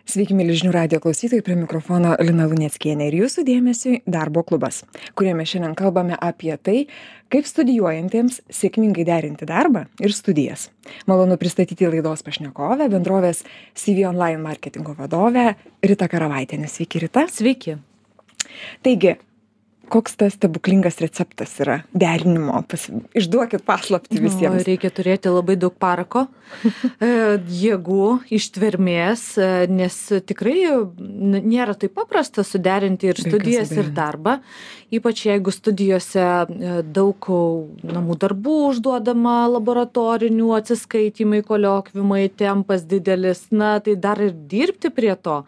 Sveiki, mėly žinių radijo klausytojai, prie mikrofono Lina Luneckienė ir jūsų dėmesiui Darbo klubas, kuriame šiandien kalbame apie tai, kaip studijuojantiems sėkmingai derinti darbą ir studijas. Malonu pristatyti laidos pašnekovę, bendrovės CV Online marketingo vadovę Ritą Karavaitienę. Sveiki, Rita. Sveiki. Taigi, koks tas stebuklingas receptas yra derinimo? Išduokit paslaptį visiems. Reikia turėti labai daug parako, jėgų, ištvermės, nes tikrai nėra taip paprasta suderinti ir studijas, ir darbą. Ypač jeigu studijose daug namų darbų užduodama, laboratorinių atsiskaitimai, koliokvimai, tempas didelis, tai dar ir dirbti prie to.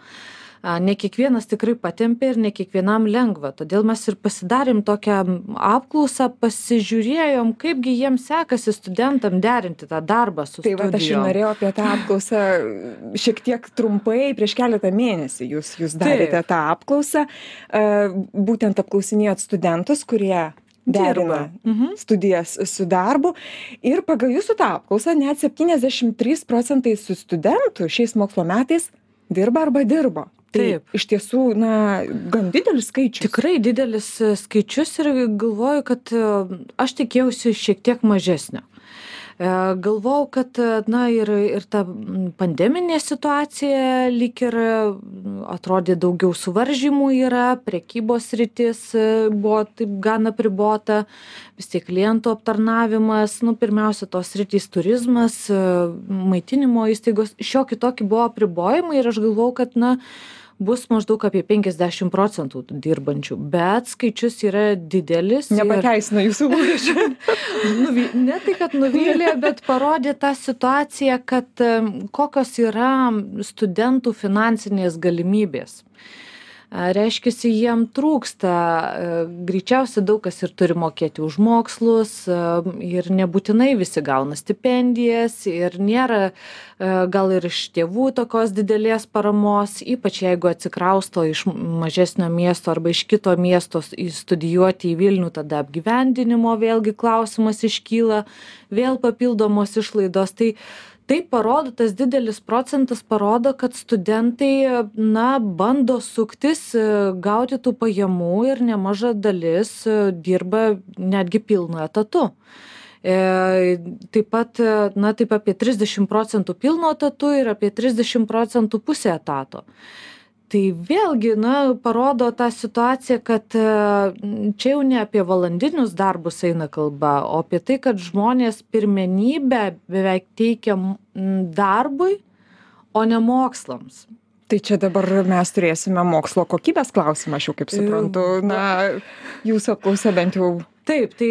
Ne kiekvienas tikrai patempia ir ne kiekvienam lengva. Todėl mes ir pasidarėm tokią apklausą, pasižiūrėjom, kaipgi jiems sekasi studentam derinti tą darbą su studijom. Tai aš ir norėjau apie tą apklausą šiek tiek trumpai, prieš keletą mėnesių jūs darėte tą apklausą. Būtent apklausinėjot studentus, kurie derina studijas su darbu. Ir pagal jūsų tą apklausą net 73% su studentų šiais mokslo metais dirba arba dirbo. Taip. Iš tiesų, gan didelis skaičius. Tikrai didelis skaičius ir galvoju, kad aš tikėjausi šiek tiek mažesnio. Galvojau, kad ir ta pandeminė situacija lyg ir atrodė daugiau suvaržymų yra, prekybos sritis buvo taip gan apribota, vis tiek klientų aptarnavimas, pirmiausia tos sritys turizmas, maitinimo įstaigos, šiokį tokį buvo apribojimai ir aš galvojau, kad bus maždaug apie 50% dirbančių, bet skaičius yra didelis. Nepateisino jūsų lūkesčių. Ne tai, kad nuvylė, bet parodė tą situaciją, kad kokios yra studentų finansinės galimybės. Reiškiasi, jiem trūksta, greičiausiai daug kas ir turi mokėti už mokslus ir nebūtinai visi gauna stipendijas ir nėra gal ir iš tėvų tokios didelės paramos, ypač jeigu atsikrausto iš mažesnio miesto arba iš kito miesto studijuoti į Vilnių, tada apgyvendinimo vėlgi klausimas iškyla, vėl papildomos išlaidos. Tai parodo, tas didelis procentas parodo, kad studentai, bando suktis, gauti tų pajamų ir nemaža dalis dirba netgi pilnu etatu. Taip pat, taip apie 30% pilno etatu ir apie 30% pusė etato. Tai vėlgi, parodo tą situaciją, kad čia jau ne apie valandinius darbus eina kalba, o apie tai, kad žmonės pirmenybę beveik teikia darbui, o ne mokslams. Tai čia dabar mes turėsime mokslo kokybės klausimą, aš jau kaip suprantu, jūsų apklausa bent jau. Taip, tai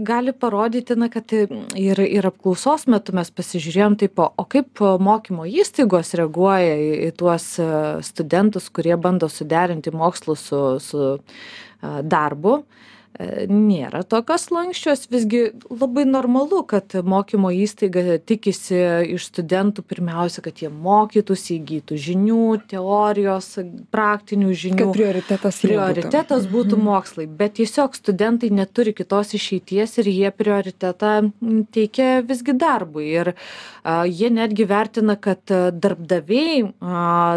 gali parodyti, kad ir apklausos metu mes pasižiūrėjom o kaip mokymo įstaigos reaguoja į tuos studentus, kurie bando suderinti mokslus su darbu. Nėra tokios lanksčios, visgi labai normalu, kad mokymo įstaiga tikisi iš studentų pirmiausia, kad jie mokytųsi, įgytų žinių, teorijos, praktinių žinių. Kad prioritetas būtų mokslai, bet tiesiog studentai neturi kitos išeities ir jie prioritetą teikia visgi darbui. Ir jie netgi vertina, kad darbdaviai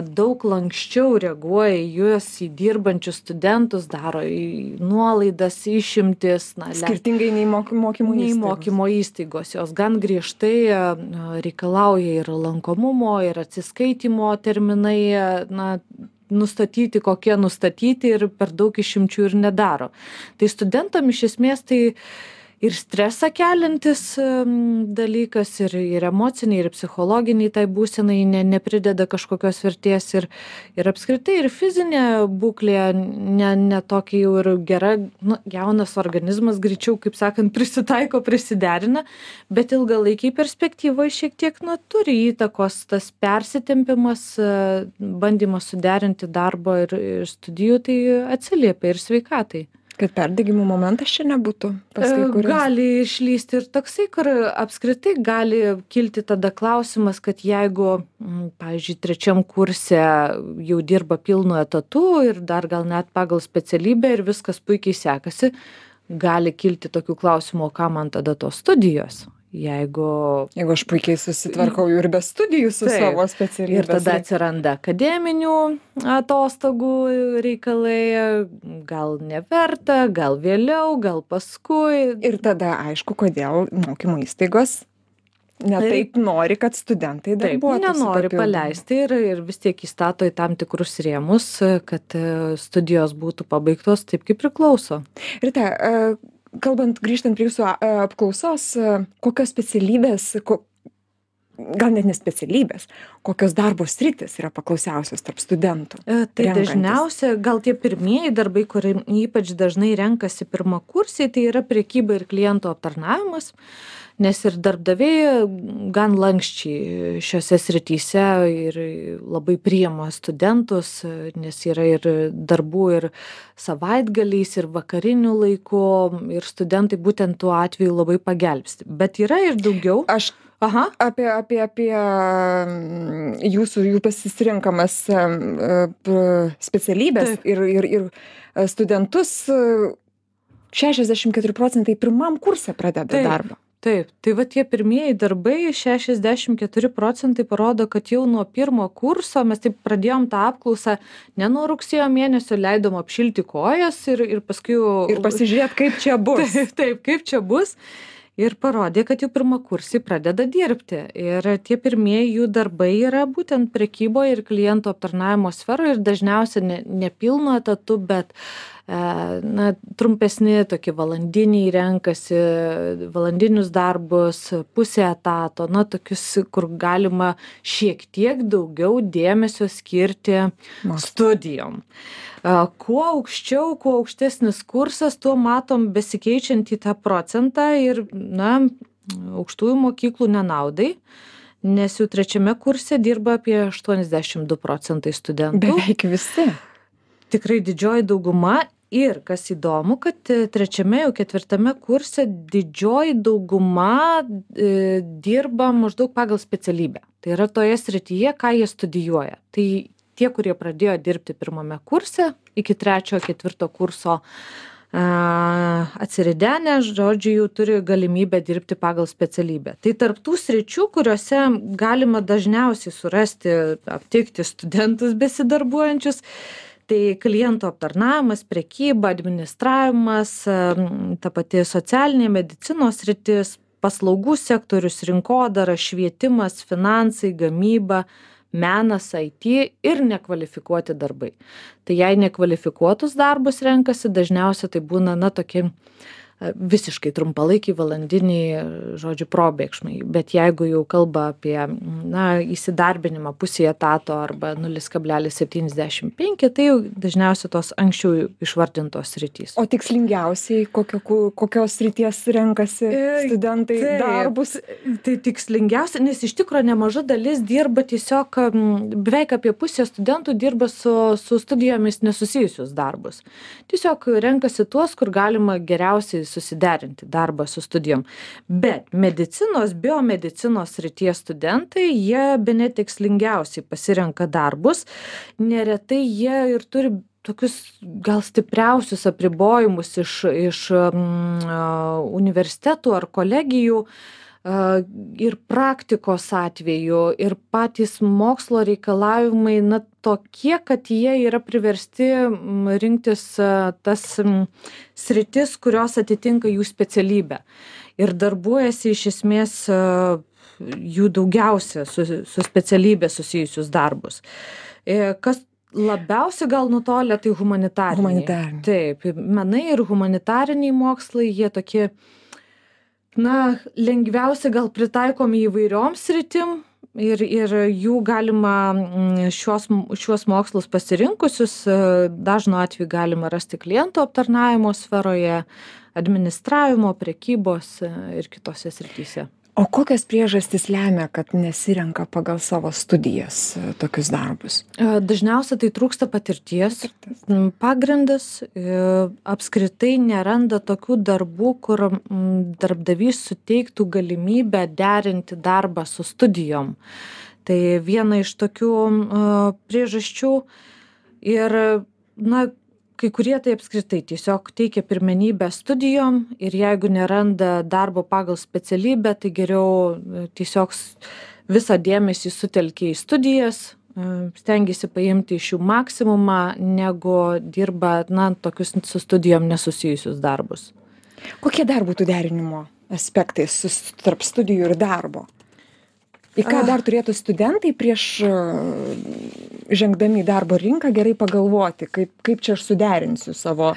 daug lanksčiau reaguoja į juos, į dirbančius studentus, daro nuolaidas, išimtis. Skirtingai nei mokymo įstaigos. Jos gan griežtai reikalauja ir lankomumo, ir atsiskaitimo terminai, nustatyti, kokie nustatyti ir per daug išimčių ir nedaro. Tai studentam iš esmės tai ir stresą keliantis dalykas, ir emociniai, ir psichologiniai tai būsenai neprideda kažkokios vertės ir apskritai ir fizinė būklė ne tokia jau ir gera, jaunas organizmas greičiau, kaip sakant, prisitaiko, prisiderina, bet ilgalaikiai perspektyvoje šiek tiek turi įtakos tas persitempimas, bandymas suderinti darbo ir studijų, tai atsiliepia ir sveikatai. Kad perdegimo momentas čia nebūtų pas kai kuriuos. Gali išlysti ir toksai, kur apskritai gali kilti tada klausimas, kad jeigu, pavyzdžiui, 3 kurse jau dirba pilnu etatu ir dar gal net pagal specialybę ir viskas puikiai sekasi, gali kilti tokių klausimų, o ką man tada tos studijos? Jeigu aš puikiai susitvarkau ir be studijų su savo specialybės. Ir tada atsiranda akademinių atostogų reikalai, gal neverta, gal vėliau, gal paskui. Ir tada aišku, kodėl mokymo įstaigos taip nori, kad studentai darbuotųsi. Nenori paleisti ir vis tiek įstato į tam tikrus rėmus, kad studijos būtų pabaigtos taip, kaip priklauso. Rita, grįžtant prie jūsų apklausos, kokios specialybės, gal net ne specialybės, kokios darbo sritys yra paklausiausios tarp studentų? Tai dažniausia, gal tie pirmieji darbai, kurie ypač dažnai renkasi pirmakursiai, tai yra prekyba ir klientų aptarnavimas, nes ir darbdaviai gan lankščiai šiose srityse ir labai priima studentus, nes yra ir darbų ir savaitgaliais, ir vakarinių laikų, ir studentai būtent tuo atveju labai pagelbsti. Bet yra ir daugiau. Apie jų pasirenkamas specialybės ir studentus 64% pirmam kurse pradeda darbą. Taip, tai va tie pirmieji darbai, 64% parodo, kad jau nuo pirmo kurso mes taip pradėjom tą apklausą, ne nuo rugsėjo mėnesio leidom apšilti kojas ir paskui... Ir pasižiūrėt, kaip čia bus. Taip, kaip čia bus. Ir parodė, kad jau pirmakursiai pradeda dirbti. Ir tie pirmieji jų darbai yra būtent prekyboje ir klientų aptarnavimo sferoje ir dažniausiai ne pilnu etatu, bet trumpesni tokie valandiniai renkasi, valandinius darbus, pusę etato, tokius, kur galima šiek tiek daugiau dėmesio skirti studijom. Kuo aukščiau, kuo aukštesnis kursas, tuo matom besikeičiantį tą procentą ir, aukštųjų mokyklų nenaudai, nes jau trečiame kurse dirba apie 82% studentų. Beveik visi. Tikrai didžioji dauguma. Ir kas įdomu, kad trečiame, jau ketvirtame kurse didžioji dauguma dirba maždaug pagal specialybę. Tai yra toje srityje, ką jie studijuoja. Tai tie, kurie pradėjo dirbti pirmame kurse, iki trečio, ketvirto kurso atsiridenę, žodžiu, jau turi galimybę dirbti pagal specialybę. Tai tarp tų sričių, kuriuose galima dažniausiai surasti, aptikti studentus besidarbuojančius, tai klientų aptarnavimas, prekyba, administravimas, ta pati socialinė medicinos sritis, paslaugų sektorius, rinkodara, švietimas, finansai, gamyba, menas, IT ir nekvalifikuoti darbai. Tai jei nekvalifikuotus darbus renkasi, dažniausiai tai būna tokie visiškai trumpalaikiai valandiniai, žodžiu, probėgšmai. Bet jeigu jau kalba apie įsidarbinimą pusėje etato arba 0,75, tai jau dažniausiai tos anksčiau išvardintos sritys. O tikslingiausiai kokios srities renkasi studentai darbus? Tai tikslingiausia, nes iš tikrųjų nemaža dalis dirba tiesiog, beveik apie pusę studentų dirba su studijomis nesusijusius darbus. Tiesiog renkasi tuos, kur galima geriausiai susiderinti darbą su studijom. Bet biomedicinos srities studentai, jie bene tikslingiausiai pasirenka darbus. Neretai jie ir turi tokius gal stipriausius apribojimus iš universitetų ar kolegijų ir praktikos atveju, ir patys mokslo reikalavimai tokie, kad jie yra priversti rinktis tas sritis, kurios atitinka jų specialybę. Ir darbuojasi iš esmės jų daugiausia su specialybė susijusius darbus. Kas labiausiai gal nutolę, tai humanitariniai. Taip, menai ir humanitariniai mokslai, jie tokie lengviausiai gal pritaikomi įvairioms sritim ir jų galima šiuos mokslus pasirinkusius, dažnu atveju galima rasti klientų aptarnavimo sferoje, administravimo, prekybos ir kitose srityse. O kokios priežastys lemia, kad nesirenka pagal savo studijas tokius darbus? Dažniausiai tai trūksta patirties. Pagrindas apskritai neranda tokių darbų, kur darbdavys suteiktų galimybę derinti darbą su studijom. Tai viena iš tokių priežasčių ir kai kurie tai apskritai tiesiog teikia pirmenybę studijom ir jeigu neranda darbo pagal specialybę, tai geriau tiesiog visą dėmesį sutelkia į studijas, stengiasi paimti iš jų maksimumą, negu dirba, tokius su studijom nesusijusius darbus. Kokie dar būtų derinimo aspektai tarp studijų ir darbo? Į ką dar turėtų studentai prieš žengdami į darbo rinką gerai pagalvoti, kaip čia aš suderinsiu savo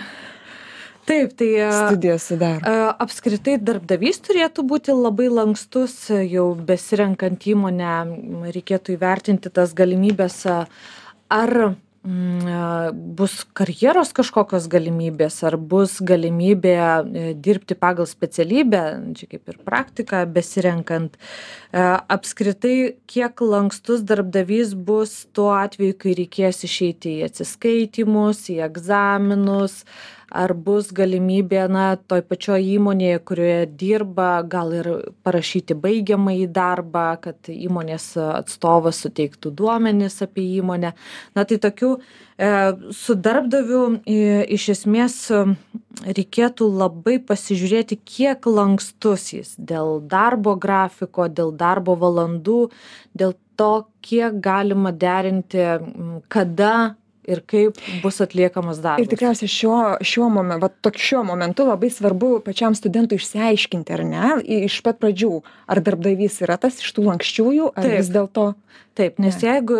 studijas su darbu? Apskritai darbdavys turėtų būti labai lankstus, jau besirenkant įmonę reikėtų įvertinti tas galimybės, ar bus karjeros kažkokios galimybės, ar bus galimybė dirbti pagal specialybę, čia kaip ir praktika besirenkant. Apskritai, kiek lankstus darbdavys bus tuo atveju, kai reikės išeiti į atsiskaitymus, į egzaminus, ar bus galimybė, toj pačioj įmonėje, kurioje dirba, gal ir parašyti baigiamąjį darbą, kad įmonės atstovas suteiktų duomenis apie įmonę. Tai tokių su darbdaviu iš esmės reikėtų labai pasižiūrėti, kiek lankstus jis dėl darbo grafiko, dėl darbo valandų, dėl to, kiek galima derinti, kada ir kaip bus atliekamas darbas. Ir tikriausiai šiuo momentu labai svarbu pačiam studentui išsiaiškinti, ar ne, iš pat pradžių, ar darbdavys yra tas iš tų lanksčiųjų, ar vis dėlto. Taip, nes jeigu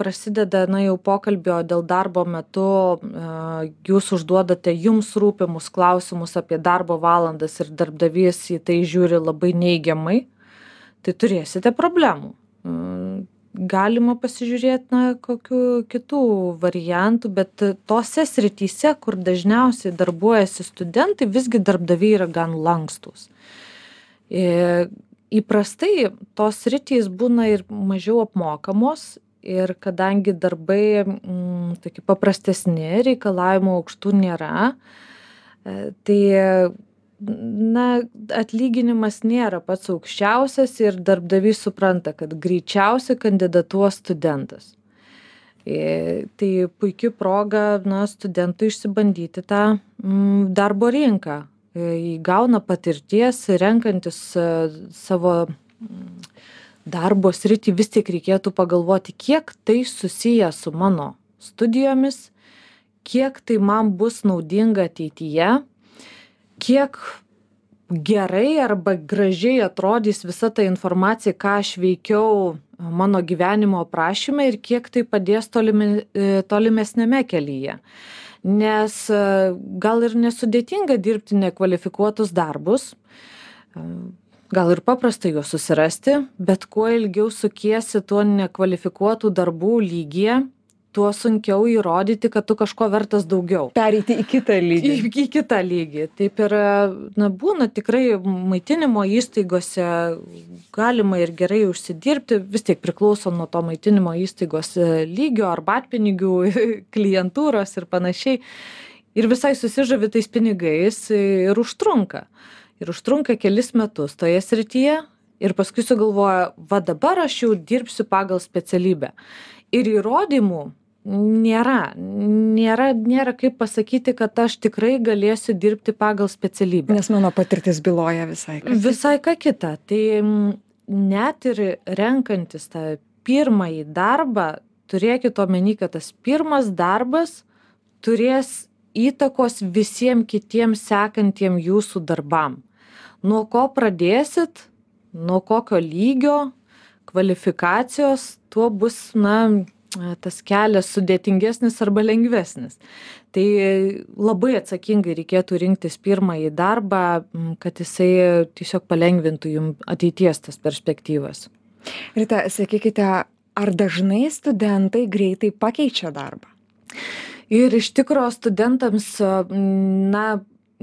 prasideda jau pokalbio dėl darbo metu, jūs užduodate jums rūpimus klausimus apie darbo valandas ir darbdavys į tai žiūri labai neigiamai, tai turėsite problemų. Galima pasižiūrėti, kokių kitų variantų, bet tose srityse, kur dažniausiai darbuojasi studentai, visgi darbdaviai yra gan lankstus. Įprastai tos sritys būna ir mažiau apmokamos ir kadangi darbai tokie paprastesni, reikalavimų aukštų nėra, tai atlyginimas nėra pats aukščiausias ir darbdavys supranta, kad greičiausiai kandidatuos studentas. Tai puikia proga studentui išsibandyti tą darbo rinką. Įgauna patirties, renkantis savo darbo sritį, vis tik reikėtų pagalvoti, kiek tai susiję su mano studijomis, kiek tai man bus naudinga ateityje, kiek gerai arba gražiai atrodys visa ta informacija, ką aš veikiau mano gyvenimo aprašyme ir kiek tai padės tolimesnėme kelyje. Nes gal ir nesudėtinga dirbti nekvalifikuotus darbus, gal ir paprasta juos susirasti, bet kuo ilgiau sukiesi tuo nekvalifikuotų darbų lygyje, tuo sunkiau įrodyti, kad tu kažko vertas daugiau. Pereiti į kitą lygį. Į kitą lygį. Taip ir būna tikrai maitinimo įstaigose galima ir gerai užsidirbti, vis tiek priklauso nuo to maitinimo įstaigos lygio, arbatpinigių, klientūros ir panašiai. Ir visai susižavi tais pinigais ir užtrunka. Ir užtrunka kelis metus toje srityje ir paskui sugalvoja, dabar aš jau dirbsiu pagal specialybę. Ir įrodymų nėra kaip pasakyti, kad aš tikrai galėsiu dirbti pagal specialybę. Nes mano patirtis byloja visai ką kita. Visai ką kita. Tai net ir renkantis tą pirmąjį darbą, turėkit omeny, kad tas pirmas darbas turės įtakos visiems kitiems sekantiem jūsų darbam. Nuo ko pradėsit, nuo kokio lygio, kvalifikacijos, tuo bus, tas kelias sudėtingesnis arba lengvesnis. Tai labai atsakingai reikėtų rinktis pirmąjį darbą, kad jisai tiesiog palengvintų jums ateities tas perspektyvas. Rita, sakykite, ar dažnai studentai greitai pakeičia darbą? Ir iš tikrųjų studentams,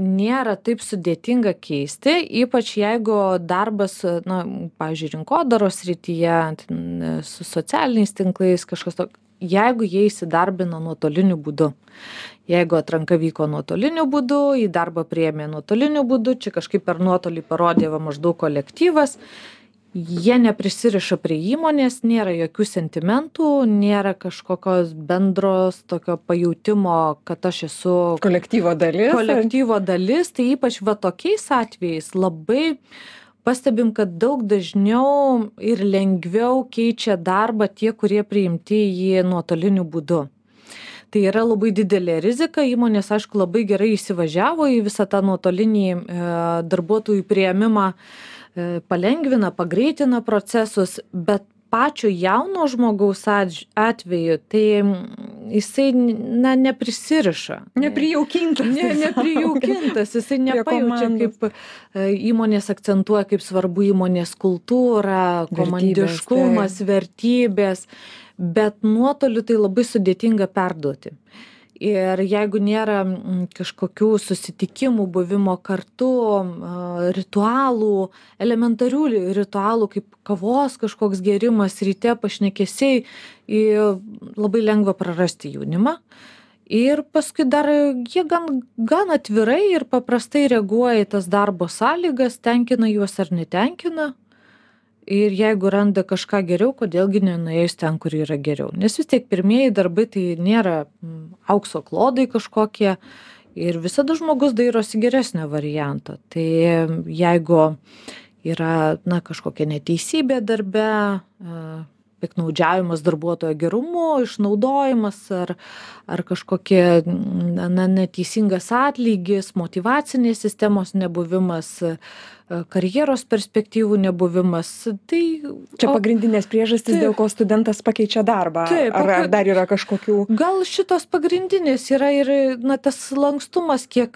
nėra taip sudėtinga keisti, ypač jeigu darbas, pavyzdžiui, rinkodaros srityje, su socialiniais tinklais, kažkas to, jeigu jie įsidarbina nuotoliniu būdu. Jeigu atranka vyko nuotoliniu būdu, į darbą priėmė nuotoliniu būdu, čia kažkaip per nuotolį parodė maždaug kolektyvas, jie neprisiriša prie įmonės, nėra jokių sentimentų, nėra kažkokios bendros tokio pajūtimo, kad aš esu kolektyvo dalis. Tai ypač va tokiais atvejais labai pastebim, kad daug dažniau ir lengviau keičia darbą tie, kurie priimti jį nuotoliniu būdu. Tai yra labai didelė rizika, įmonės, aišku, labai gerai įsivažiavo į visą tą nuotolinį darbuotojų priėmimą, palengvina, pagreitina procesus, bet pačio jauno žmogaus atveju, tai jisai neprisiriša. Neprijaukintas, jisai nepajaučia, kaip įmonės akcentuoja, kaip svarbu įmonės kultūra, komandiškumas, vertybės. Bet nuotoliu tai labai sudėtinga perduoti. Ir jeigu nėra kažkokių susitikimų, buvimo kartu, ritualų, elementarių ritualų, kaip kavos kažkoks gėrimas, ryte pašnekesiai, labai lengva prarasti jaunimą. Ir paskui dar jie gan atvirai ir paprastai reaguoja į tas darbo sąlygas, tenkina juos ar netenkina. Ir jeigu randa kažką geriau, kodėlgi nenuėjus ten, kur yra geriau. Nes vis tiek pirmieji darbai tai nėra aukso klodai kažkokie ir visada žmogus dairosi geresnio varianto. Tai jeigu yra kažkokia neteisybė darbe, piktnaudžiavimas darbuotojo gerumu, išnaudojimas ar kažkokie neteisingas atlygis, motyvacinės sistemos nebuvimas, karjeros perspektyvų nebuvimas. Tai čia pagrindinės priežastys, dėl ko studentas pakeičia darbą. Taip, ar dar yra kažkokių? Gal šitos pagrindinės yra ir tas lankstumas, kiek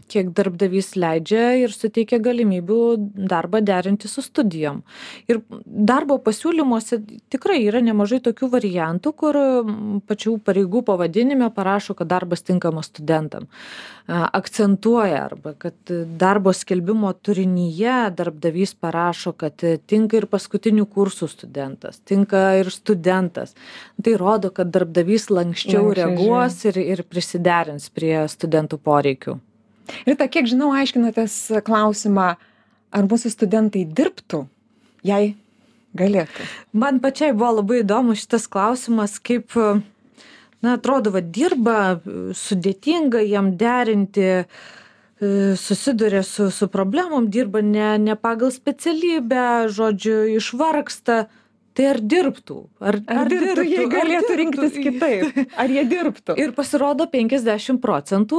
darbdavys leidžia ir suteikia galimybių darbą derinti su studijom. Ir darbo pasiūlymuose tikrai yra nemažai tokių variantų, kur pačių pareigų pavadinime parašo, kad darbas tinkamas studentam. Akcentuoja arba kad darbo skelbimo turinyje darbdavys parašo, kad tinka ir paskutinių kursų studentas, tinka ir studentas. Tai rodo, kad darbdavys lankščiau reaguos ir prisiderins prie studentų poreikių. Rita, kiek žinau, aiškinotės klausimą, ar mūsų studentai dirbtų, jei galėtų? Man pačiai buvo labai įdomu šitas klausimas, kaip, atrodo, dirba, sudėtinga jam derinti, susiduria su problemom, dirba ne pagal specialybę, žodžiu, išvargsta. Tai ar dirbtų? Ar dirbtų, jei galėtų rinktis kitaip? Ar jie dirbtų? Ir pasirodo 50%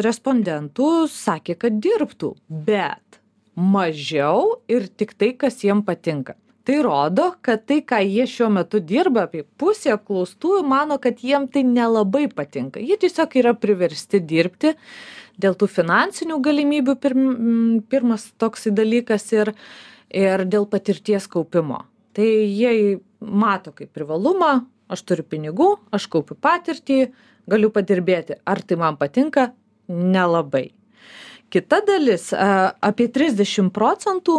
respondentų sakė, kad dirbtų, bet mažiau ir tik tai, kas jiem patinka. Tai rodo, kad tai, ką jie šiuo metu dirba, apie pusė apklaustųjų mano, kad jiem tai nelabai patinka. Jie tiesiog yra priversti dirbti dėl tų finansinių galimybių, pirmas toksai dalykas, ir dėl patirties kaupimo. Tai jie mato kaip privalumą, aš turiu pinigų, aš kaupiu patirtį, galiu padirbėti. Ar tai man patinka? Nelabai. Kita dalis, apie 30%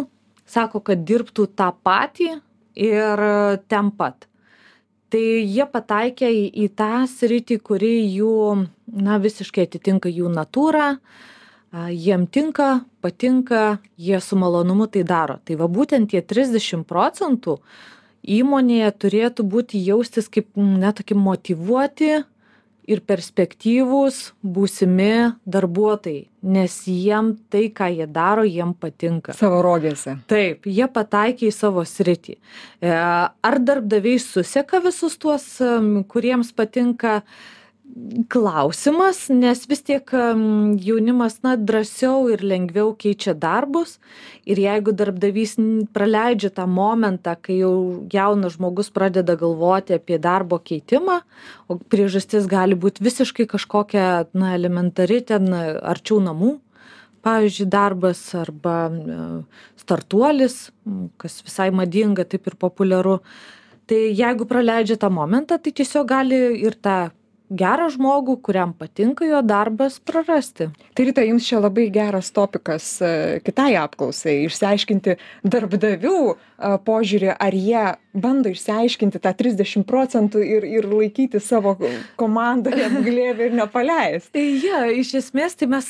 sako, kad dirbtų tą patį ir ten pat. Tai jie pataikė į tą sritį, kuri jų visiškai atitinka jų natūrą. Jiem tinka, patinka, jie su malonumu tai daro. Tai va būtent tie 30% įmonėje turėtų būti jaustis kaip tokie motyvuoti ir perspektyvūs būsimi darbuotojai, nes jiem tai, ką jie daro, jiem patinka. Savo rogėse. Taip, jie pataikė į savo sritį. Ar darbdaviai suseka visus tuos, kuriems patinka? Klausimas, nes vis tiek jaunimas drąsiau ir lengviau keičia darbus ir jeigu darbdavys praleidžia tą momentą, kai jau jaunas žmogus pradeda galvoti apie darbo keitimą, o priežastis gali būti visiškai kažkokia elementari ten arčiau namų, pavyzdžiui, darbas arba startuolis, kas visai madinga, taip ir populiaru. Tai jeigu praleidžia tą momentą, tai tiesiog gali ir tą gerą žmogų, kuriam patinka jo darbas, prarasti. Tai Rita, jums čia labai geras topikas kitai apklausai, išsiaiškinti darbdavių požiūrį, ar jie bando išsiaiškinti tą 30% ir laikyti savo komandoje glėbį ir nepaleisti. Ja, iš esmės, tai mes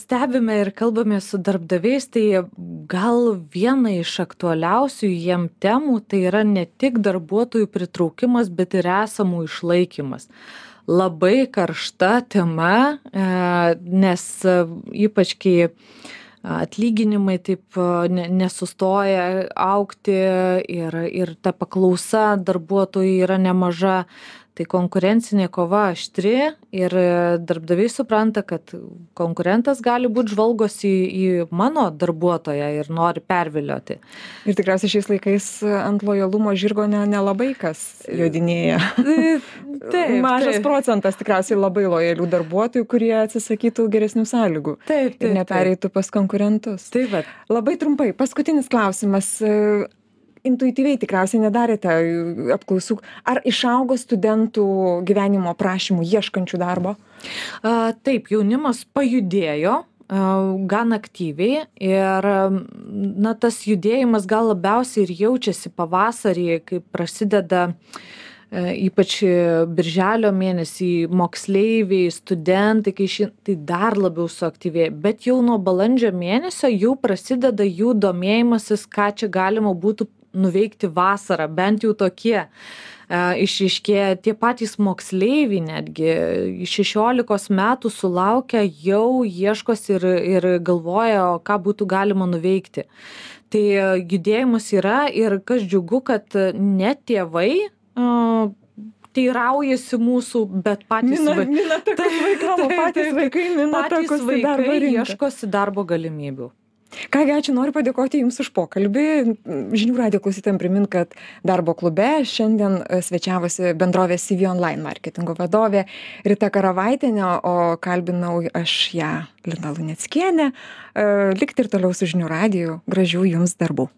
stebime ir kalbame su darbdaviais, tai gal viena iš aktualiausių jiem temų tai yra ne tik darbuotojų pritraukimas, bet ir esamų išlaikymas. Labai karšta tema, nes ypač kai atlyginimai taip nesustoja augti ir ta paklausa darbuotojų yra nemaža, tai konkurencinė kova aštri ir darbdaviai supranta, kad konkurentas gali būti žvalgosi į mano darbuotoją ir nori pervilioti. Ir tikriausiai šiais laikais ant lojalumo žirgo nelabai kas jodinėja. Taip, mažas procentas tikriausiai labai lojalių darbuotojų, kurie atsisakytų geresnių sąlygų. Taip, ir nepereitų pas konkurentus. Taip, bet. Labai trumpai, paskutinis klausimas. Intuityviai tikriausiai nedarėte apklausų. Ar išaugo studentų gyvenimo aprašymų ieškančių darbo? Taip, jaunimas pajudėjo gan aktyviai ir tas judėjimas gal labiausiai ir jaučiasi pavasarį, kai prasideda ypač birželio mėnesį moksleiviai, studentai, tai dar labiau suaktyvėja. Bet jau nuo balandžio mėnesio jau prasideda jų domėjimasis, ką čia galima būtų nuveikti vasarą, bent jau tokie išryškėja. Tie patys moksleiviai netgi 16 metų sulaukę jau ieškosi ir galvoja, ką būtų galima nuveikti. Tai judėjimas yra ir kas džiugu, kad ne tėvai teiraujasi mūsų, bet patys vaikai ieškosi darbo galimybių. Kągi, ačiū, noriu padėkoti Jums už pokalbį. Žinių radijo klausytojams primint, kad darbo klube šiandien svečiavosi bendrovės CV Online marketingo vadovė Rita Karavaitienė, o kalbinau aš ją, Lina Luneckienė. Likti ir toliau su Žinių radiju. Gražių Jums darbų.